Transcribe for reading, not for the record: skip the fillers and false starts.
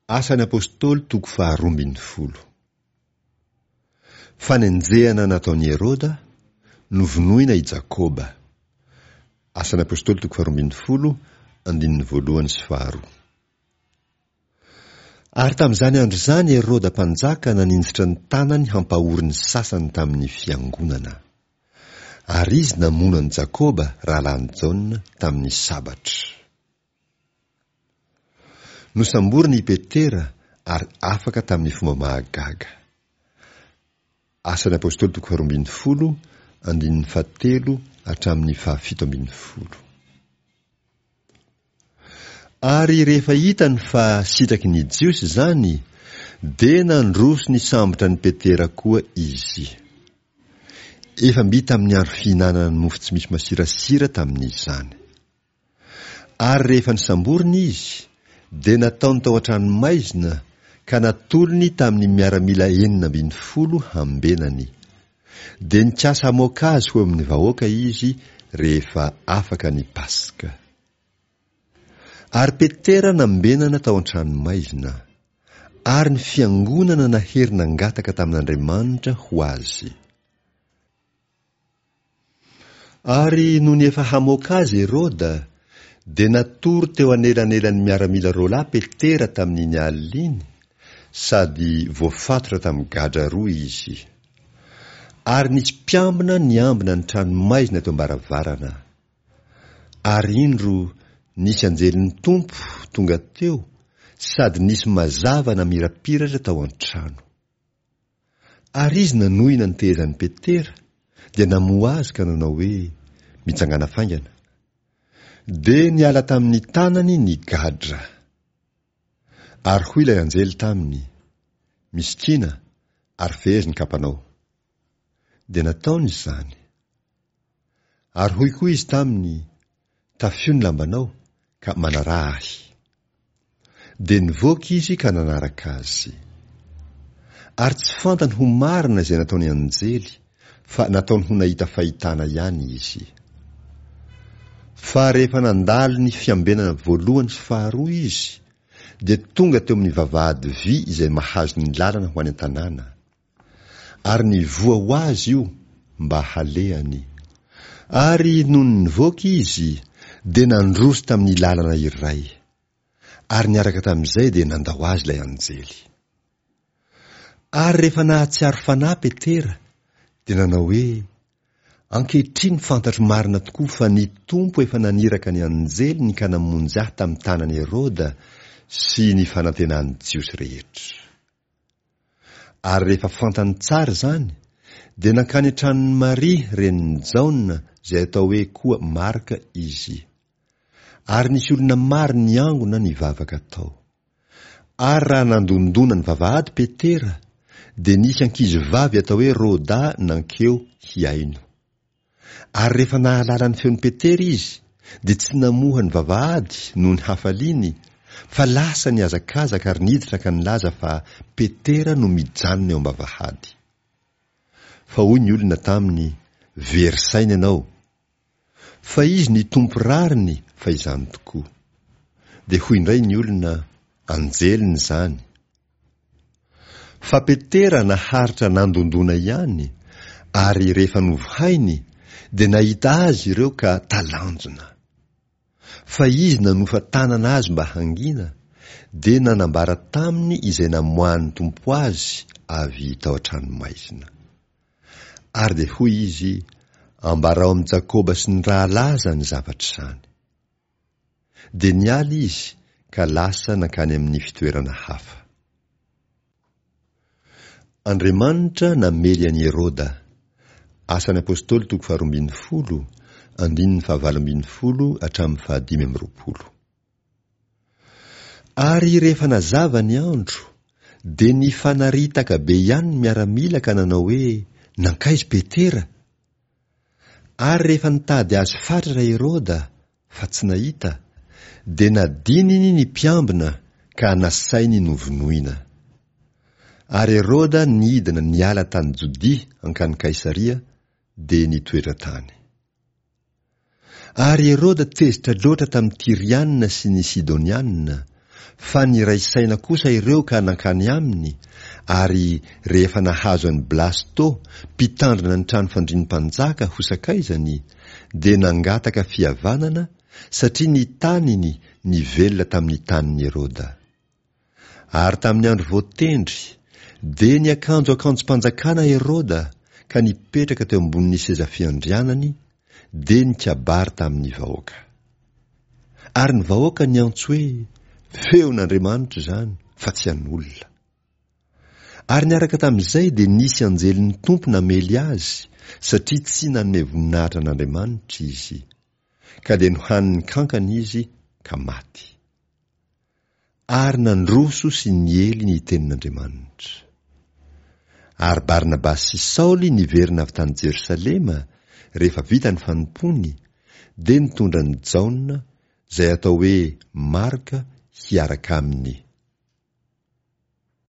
Asan'ny Apostoly toko faharoa ambin'ny folo. Fanenjehana nataon'i Heroda, novonoina i Jakoba. Asan'ny Apostoly toko faharoa ambin'ny folo, andininy voalohany sy faharoa. Ary tamin'izany andro izany Heroda mpanjaka naninjitra ny tanany hampahory ny sasany tamin'ny fiangonana. Ary izy namono an'i Jakoba rahalahin'i Jaona tamin'ny sabatra. Nosamborina i Petera ary afaka tamin'ny fomba mahagaga. Asan'ny Apostoly toko faharoa ambin'ny folo, andininy fahatelo hatramin'ny fahafito ambin'ny folo. Ary rehefa hitany fa sitraky ny Jiosy izany, dia nandroso nisambotra an'i Petera koa izy. Efa mby tamin'ny andro fihinanana ny mofo tsy misy masirasira tamin'izany. Ary rehefa nosamborina izy, dia nataony tao an-tranomaizina ka natolony tamin'ny miaramila 16 hambenany. Dia nikasa hamoaka azy ho eo amin'ny vahoaka izy rehefa afaka ny Paska. Ary Petera nambenana tao an-tranomaizina, ary ny fiangonana nahery nangataka tamin'Andriamanitra ho azy. Ary nony efa hamoaka azy Heroda, dia natory teo anelanelan'ny miaramila roalahy Petera tamin'iny alina iny, sady voafatotra tamin'ny gadra roa izy. Ary nisy mpiambina niambina ny tranomaizina teo am-baravarana. Ary indro, nisy anjelin'ny Tompo tonga teo, sady nisy mazava namirapiratra tao an-trano. Ary izy nanohina ny tehezan'i Petera, dia namoha azy ka nanao hoe, Mitsangàna faingana. Dia niala tamin'ny tanany ny gadra. Ary hoy ilay anjely taminy, Misikina, ary fehezo ny kapanao. Dia nataony izany. Ary hoy koa izy taminy, Tafio ny lambanao, ka manaraha ahy. Dia nivoaka izy ka nanaraka azy. Ary tsy fantany ho marina izay nataon'ny anjely, fa nataony ho nahita fahitana ihany izy. Fa rehefa nandalo ny fiambenana voalohany sy faharoa izy, dia tonga teo amin'ny vavahady vy izay mahazo ny lalana ho any an-tanàna. Ary nivoha ho azy io mba halehany. Ary nony nivoaka izy, dia nandroso tamin'ny lalana iray. Ary niaraka tamin'izay dia nandao azy ilay anjely. Ary rehefa nahatsiaro fanahy Petera, dia nanao hoe, Ankehitriny fantatro marina tokoa fa ny Tompo efa naniraka ny anjeliny ka namonjy ahy tamin'ny tanan'i Heroda sy ny fanantenan'ny Jiosy rehetra. Ary rehefa fantany tsara izany, dia nankany an-tranon'i Maria renin'i Jaona, izay atao hoe koa Marka, izy. Ary nisy olona maro niangona nivavaka tao. Ary raha nandondona ny vavahady Petera, dia nisy ankizivavy atao hoe Roda nankeo hihaino. Ary rehefa nahalala ny feon'i Petera izy, dia tsy namoha ny vavahady noho ny hafaliany, fa lasa nihazakazaka ary niditra ka nilaza fa Petera no mijanona eo am-bavahady. Fa hoy ny olona taminy, Very saina ianao. Fa izy nitompo rariny fa izany tokoa. Dia hoy indray ny olona, Anjeliny izany. Fa Petera naharitra nandondona ihany, ary rehefa novohainy, dia nahita azy ireo ka talanjona. Fa izy nanofa tanana azy mba hangina, dia nanambara taminy izay namoahan'ny Tompo azy avy tao an-tranomaizina. Ary dia hoy izy, Ambarao amin'i Jakoba sy ny rahalahy izany zavatra izany. Dia niala izy ka lasa nankany amin'ny fitoerana hafa. Andriamanitra namely an'i Heroda. Asan'ny Apostoly toko faharoa ambin'ny folo, andininy fahavalo ambin'ny folo hatramin'ny fahadimy amby roapolo. Ary rehefa nazava ny andro, dia nifanaritaka be ihany ny miaramila ka nanao hoe, Nankaiza Petera? Ary rehefa nitady azy fatratra Heroda, fa tsy nahita, dia nadininy ny mpiambina ka nasainy novonoina. Ary Heroda nidina niala tany Jodia hankany Kaisaria, dia nitoetra tany. Ary Heroda tezitra loatra tamin'ny Tyriana sy ny Sidoniana, Fa niray saina kosa ireo ka nankany aminy, ary rehefa nahazo an'i Blasto, mpitandrina ny trano fandrian'ny mpanjaka ho sakaizany, dia nangataka fihavanana, satria ny taniny nivelona tamin'ny tanin'i Heroda. Ary tamin'ny andro voatendry, dia niakanjo akanjom-panjakana Heroda ka nipetraka teo ambonin'ny seza fiandrianany, dia nikabary tamin'ny vahoaka. Ary ny vahoaka niantso hoe, Feon'Andriamanitra izany, fa tsy an'olona. Ary niaraka tamin'izay dia nisy anjelin'ny Tompo namely azy, satria tsy nanome voninahitra an'Andriamanitra izy. Ka dia nohanin'ny kankana izy ka maty. Ary nandroso sy niely ny tenin'Andriamanitra. Ary Barnabasy sy Saoly niverina avy tany Jerosalema, rehefa vita ny fanompoany, dia nitondra an'i Jaona, izay atao hoe Marka, hiaraka aminy.